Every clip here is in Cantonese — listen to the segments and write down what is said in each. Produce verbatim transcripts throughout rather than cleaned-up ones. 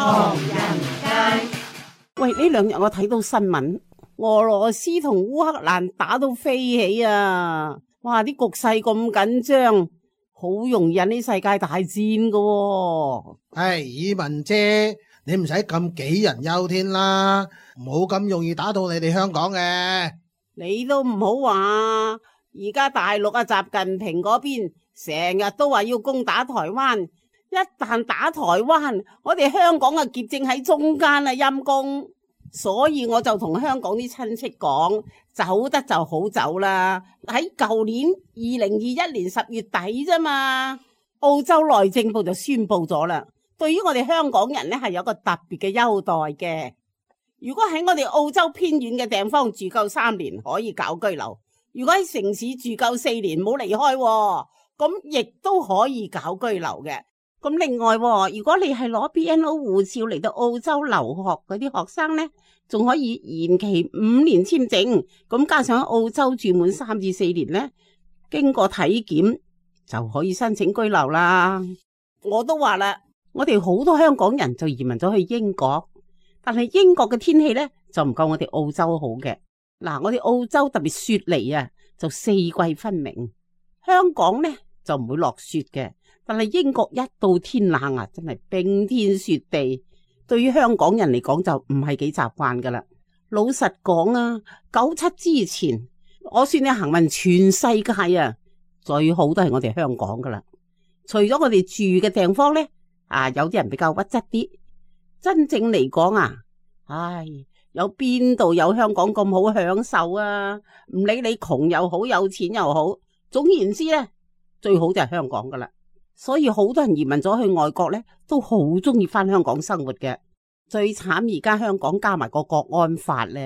唐人街。喂，呢兩日我睇到新聞，俄羅斯同烏克蘭打到飛起啊！哇，啲局勢咁緊張，好容易引起世界大戰噶喎。唉，以文姐，你唔使咁杞人憂天啦，冇咁容易打到你哋香港嘅。你都唔好話，而家大陸啊，習近平嗰邊成日都話要攻打台灣，一旦打台灣，我哋香港啊夾正喺中間啊，陰公。所以我就同香港啲親戚講，走得就好走啦。喺舊年二零二一年十月底啫嘛，澳洲內政部就宣布咗啦，對於我哋香港人呢係有個特別嘅優待嘅。如果喺我哋澳洲偏遠嘅地方住夠三年，可以搞居留；如果喺城市住夠四年，冇離開，咁亦都可以搞居留嘅。咁另外，如果你係攞 B N O 護照嚟到澳洲留學嗰啲學生呢，仲可以延期五年簽證，咁加上喺澳洲住滿三至四年呢，經過體檢就可以申請居留啦。我都話啦，我哋好多香港人就移民咗去英國，但係英國嘅天氣呢，就唔夠我哋澳洲好嘅。嗱，我哋澳洲特別雪梨啊，就四季分明，香港呢就唔會落雪嘅。但係英國一到天冷啊，真係冰天雪地，對於香港人嚟講就唔係幾習慣噶啦。老實講啊，九七之前，我算你行運全世界啊，最好都係我哋香港噶啦。除咗我哋住嘅地方呢，啊有啲人比較屈質啲，真正嚟講啊，唉，有邊度有香港咁好享受啊？唔理你窮又好，有錢又好，總言之呢，最好就係香港噶啦。所以好多人移民咗去外國呢，都好中意翻香港生活嘅。最慘而家香港加埋個國安法呢，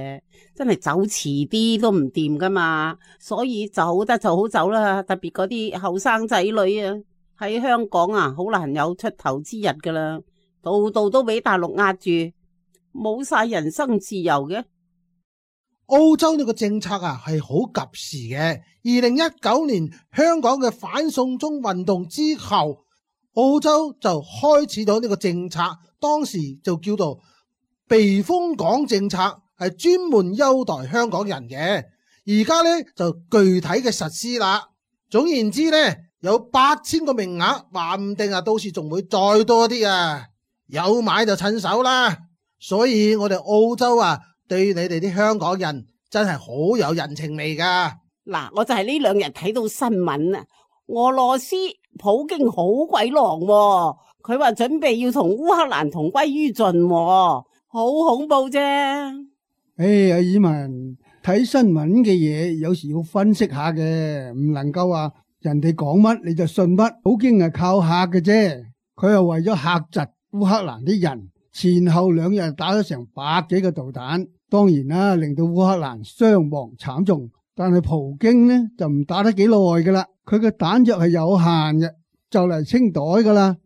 真係走遲啲都唔掂噶嘛。所以走得就好走啦，特別嗰啲後生仔女啊，喺香港啊，好難有出頭之日噶啦，度度都俾大陸壓住，冇晒人身自由嘅。澳洲呢個政策啊係好及時嘅。二零一九年香港嘅反送中運動之後，澳洲就開始咗呢個政策，當時就叫做避風港政策，係專門優待香港人嘅。而家呢，就具體嘅實施啦。總言之呢，有八千個名額，話唔定啊，到時仲會再多啲啊。有買就趁手啦。所以我哋澳洲啊，對你哋啲香港人真係好有人情味噶。嗱，我就係呢兩日睇到新聞啊，俄羅斯普京好鬼狼喎，佢話準備要同烏克蘭同歸於盡喎，好恐怖啫。唉，阿以文，睇新聞嘅嘢有時要分析下嘅，唔能夠話人哋講乜你就信乜。普京係靠嚇嘅啫，佢係為咗嚇窒烏克蘭啲人，前後兩日打咗成百幾個導彈，當然啦，令到烏克蘭傷亡慘重。但係普京呢就唔打得幾耐噶啦，佢嘅彈藥係有限嘅，就嚟清袋噶啦。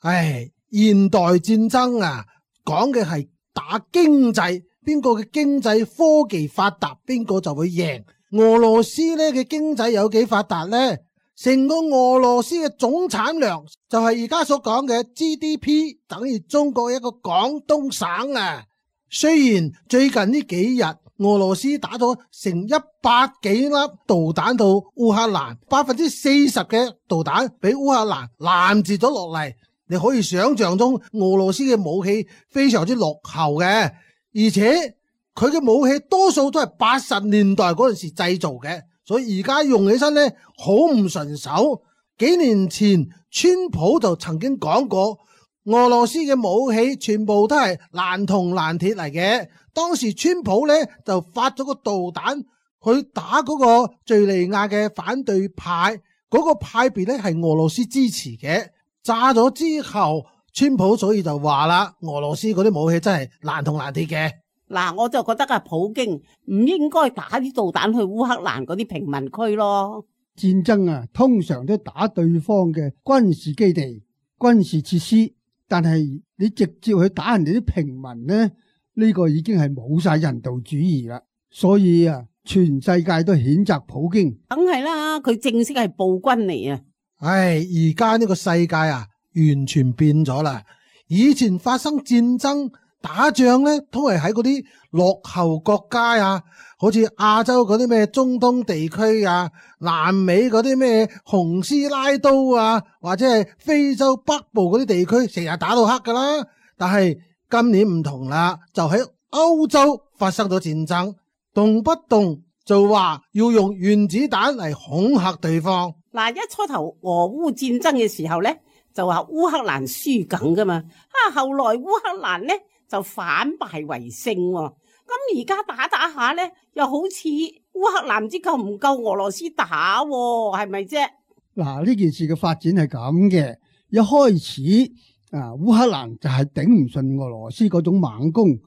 唉，現代戰爭啊，講嘅係打經濟，邊個嘅經濟科技發達，邊個就會贏。俄羅斯呢嘅經濟有幾發達呢？成個俄羅斯嘅總產量就係而家所講嘅 G D P 等於中國一個廣東省啊。雖然最近呢幾日俄羅斯打咗成一百幾粒導彈到烏克蘭，百分之四十嘅導彈俾烏克蘭攔截咗落嚟。你可以想象中俄羅斯嘅武器非常之落後嘅，而且佢嘅武器多數都係八十年代嗰陣時製造嘅，所以而家用起身呢好唔順手。幾年前川普就曾經講過，俄羅斯嘅武器全部都係爛銅爛鐵嚟嘅。當時川普呢就發咗個導彈去打嗰個敘利亞嘅反對派，嗰個派別呢係俄羅斯支持嘅。炸咗之後，川普所以就話啦，俄羅斯嗰啲武器真係爛銅爛鐵嘅。嗱，我就覺得啊，普京唔應該打啲導彈去烏克蘭嗰啲平民區咯。戰爭啊，通常都打對方嘅軍事基地、軍事設施，但係你直接去打人哋啲平民呢？呢個已經係冇晒人道主義啦，所以啊，全世界都譴責普京。梗係啦，佢正式係暴君嚟啊！唉，而家呢個世界啊，完全變咗啦。以前發生戰爭打仗咧，都係喺嗰啲落後國家啊，好似亞洲嗰啲咩中東地區啊，南美嗰啲咩洪斯拉都啊，或者係非洲北部嗰啲地區，成日打到黑噶啦。但係今年唔同啦，就喺歐洲發生咗戰爭，動不動就話要用原子彈嚟恐嚇對方。嗱，一初頭俄烏戰爭嘅時候咧，就話烏克蘭輸緊噶嘛，啊，後來烏克蘭咧就反敗為勝喎。咁而家打打下咧，又好似烏克蘭唔知夠唔夠俄羅斯打喎，係咪啫？嗱，呢件事嘅發展係咁嘅，一開始啊，烏克蘭就係頂唔順俄羅斯嗰種猛攻，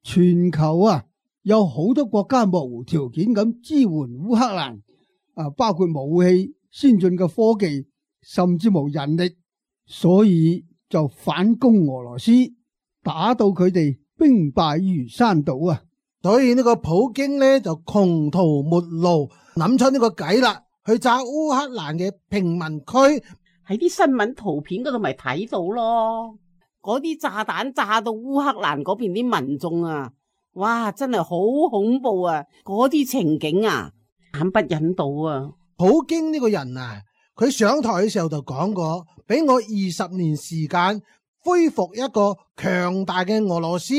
全球啊有好多國家無條件咁支援烏克蘭，啊，包括武器、先進嘅科技，甚至無人力，所以就反攻俄羅斯，打到佢哋兵敗如山倒啊！所以呢個普京呢，就窮途末路，諗出呢個計啦，去炸烏克蘭嘅平民區。喺啲新聞圖片嗰度咪睇到咯，嗰啲炸彈炸到烏克蘭嗰邊啲民眾啊，哇，真係好恐怖啊！嗰啲情景啊，慘不忍睹啊！普京呢個人啊，佢上台嘅時候就講過，俾我二十年時間恢復一個強大嘅俄羅斯。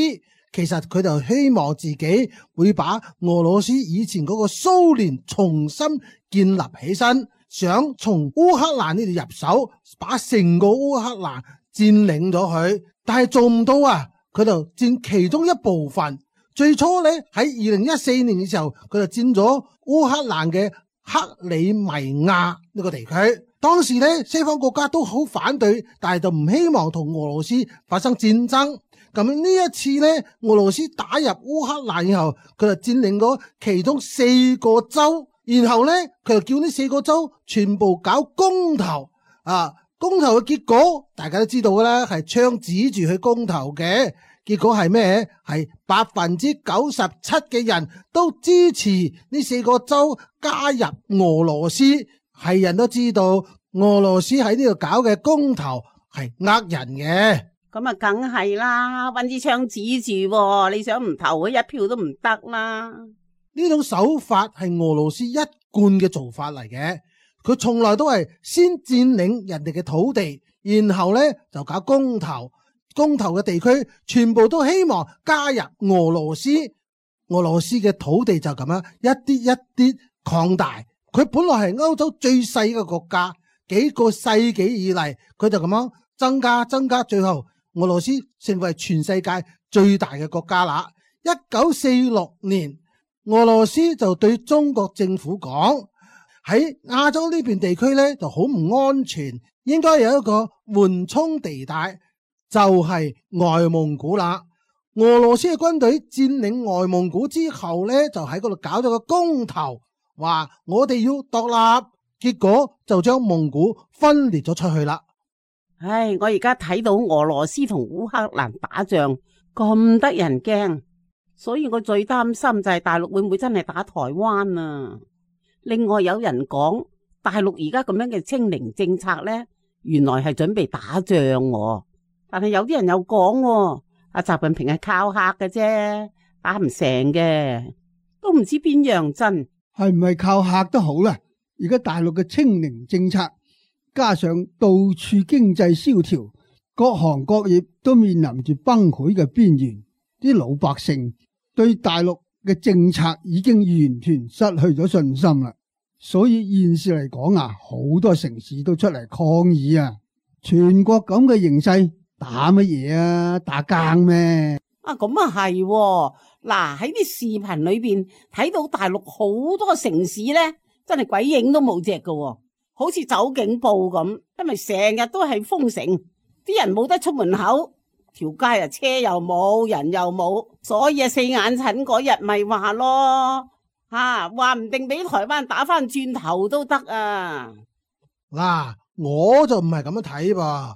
其實佢就希望自己會把俄羅斯以前嗰個蘇聯重新建立起身，想從烏克蘭呢度入手，把成個烏克蘭佔領咗佢，但係做唔到啊！佢就佔其中一部分。最初咧喺二零一四年嘅時候，佢就佔咗烏克蘭嘅克里米亞呢個地區。當時咧西方國家都好反對，但係就唔希望同俄羅斯發生戰爭。咁呢一次咧，俄羅斯打入烏克蘭以後，佢就佔領咗其中四個州，然後咧佢就叫呢四個州全部搞公投啊！公投嘅結果大家都知道噶啦，係槍指住去公投嘅，結果係咩？係百分之九十七嘅人都支持呢四個州加入俄羅斯。係人都知道俄羅斯喺呢度搞嘅公投係呃人嘅。咁啊，梗係啦，搵支槍指住，你想唔投佢一票都唔得啦。呢種手法係俄羅斯一貫嘅做法嚟嘅，佢從來都係先佔領人哋嘅土地，然後咧就搞公投，公投嘅地區全部都希望加入俄羅斯，俄羅斯嘅土地就咁樣一啲一啲擴大。佢本來係歐洲最細嘅國家，幾個世紀以嚟佢就咁樣增加增加，最後俄羅斯成為全世界最大嘅國家啦。一九四六年，俄羅斯就對中國政府講，喺亞洲呢邊地區咧就好唔安全，應該有一個緩衝地帶，就係外蒙古啦。俄羅斯嘅軍隊佔領外蒙古之後咧，就喺嗰度搞咗個公投，話我哋要獨立，結果就將蒙古分裂咗出去啦。唉，我而家睇到俄羅斯同烏克蘭打仗咁得人驚，所以我最擔心就係大陸會唔會真係打台灣啊？另外有人講大陸而家咁樣嘅清零政策呢，原來係準備打仗喎。但係有啲人又講，阿習近平係靠嚇嘅啫，打唔成嘅，都唔知邊樣真。係唔係靠嚇都好啦，而家大陸嘅清零政策加上到處經濟蕭條，各行各業都面臨住崩潰嘅邊緣，啲老百姓對大陸嘅政策已經完全失去咗信心啦。所以現時嚟講啊，好多城市都出嚟抗議啊！全國咁嘅形勢，打乜嘢啊？打更咩？啊，咁啊係，嗱喺啲視頻裏邊睇到大陸好多城市咧，真係鬼影都冇隻㗎。好似走警報咁，因為成日都係封城，啲人冇得出門口，條街啊車又冇，人又冇，所以啊四眼診嗰日咪話咯，吓話唔定俾台灣打翻轉頭都得啊！嗱，我就唔係咁樣睇噃，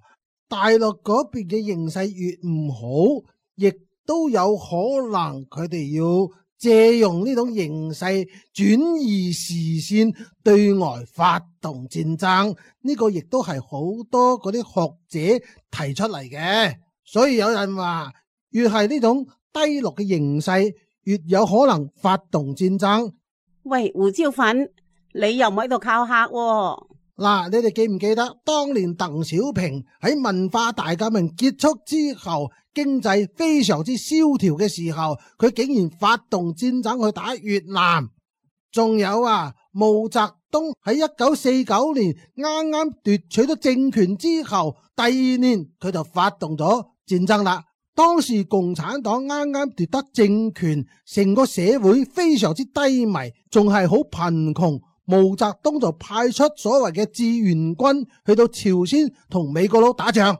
大陸嗰邊嘅形勢越唔好，亦都有可能佢哋要借用呢種形勢轉移視線，對外發動戰爭，呢個亦都係好多嗰啲學者提出嚟嘅。所以有人話，越係呢種低落嘅形勢，越有可能發動戰爭。喂，胡椒粉，你又唔喺度靠客喎？嗱，你哋記唔記得當年鄧小平喺文化大革命結束之後，經濟非常之蕭條嘅時候，佢竟然發動戰爭去打越南。仲有啊，毛澤東喺一九四九年啱啱奪取咗政權之後，第二年佢就發動咗戰爭啦。當時共產黨啱啱奪得政權，成個社會非常之低迷，仲係好貧窮。毛澤東就派出所謂嘅志願軍去到朝鮮同美國佬打仗。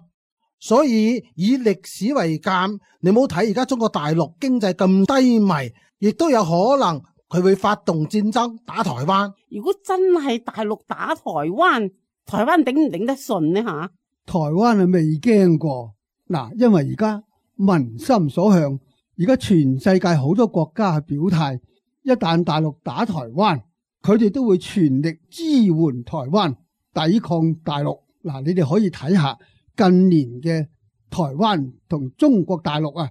所以以歷史為鑑，你冇睇而家中國大陸經濟咁低迷，亦都有可能佢會發動戰爭打台灣。如果真係大陸打台灣，台灣頂唔頂得順呢？吓，台灣係未驚過嗱，因為而家民心所向，而家全世界好多國家係表態，一旦大陸打台灣，佢哋都會全力支援台灣抵抗大陸。嗱，你哋可以睇下近年嘅台灣同中國大陸啊，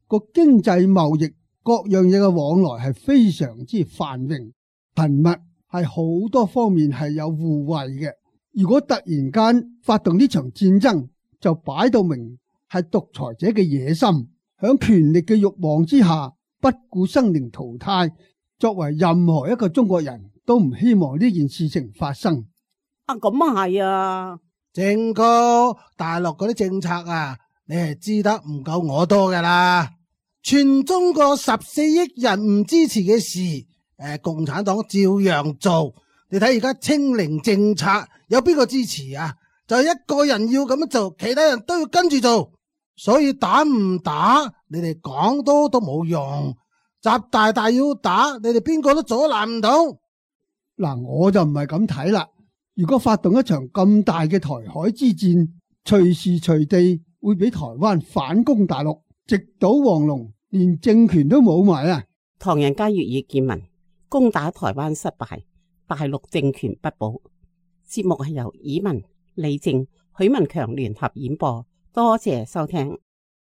個經濟貿易各樣嘢嘅往來係非常之繁榮頻密，係好多方面係有互惠嘅。如果突然間發動呢場戰爭，就擺到明係獨裁者嘅野心，響權力嘅慾望之下，不顧生靈塗炭。作為任何一個中國人都唔希望呢件事情發生。啊，咁啊係啊，正哥，大陸嗰啲政策啊，你係知得唔夠我多噶啦。全中國十四億人唔支持嘅事，誒，共產黨照樣做。你睇而家清零政策，有邊個支持啊？就係一個人要咁樣做，其他人都要跟住做。所以打唔打，你哋講多都冇用。習大大要打，你哋邊個都阻攔唔到。嗱，我就唔係咁睇啦。如果發動一場咁大嘅台海之戰，隨時隨地會俾台灣反攻大陸，直搗黃龍，連政權都冇埋啊！唐人街粵語見聞，攻打台灣失敗，大陸政權不保。節目係由以文、李靜、許文強聯合演播，多謝收聽。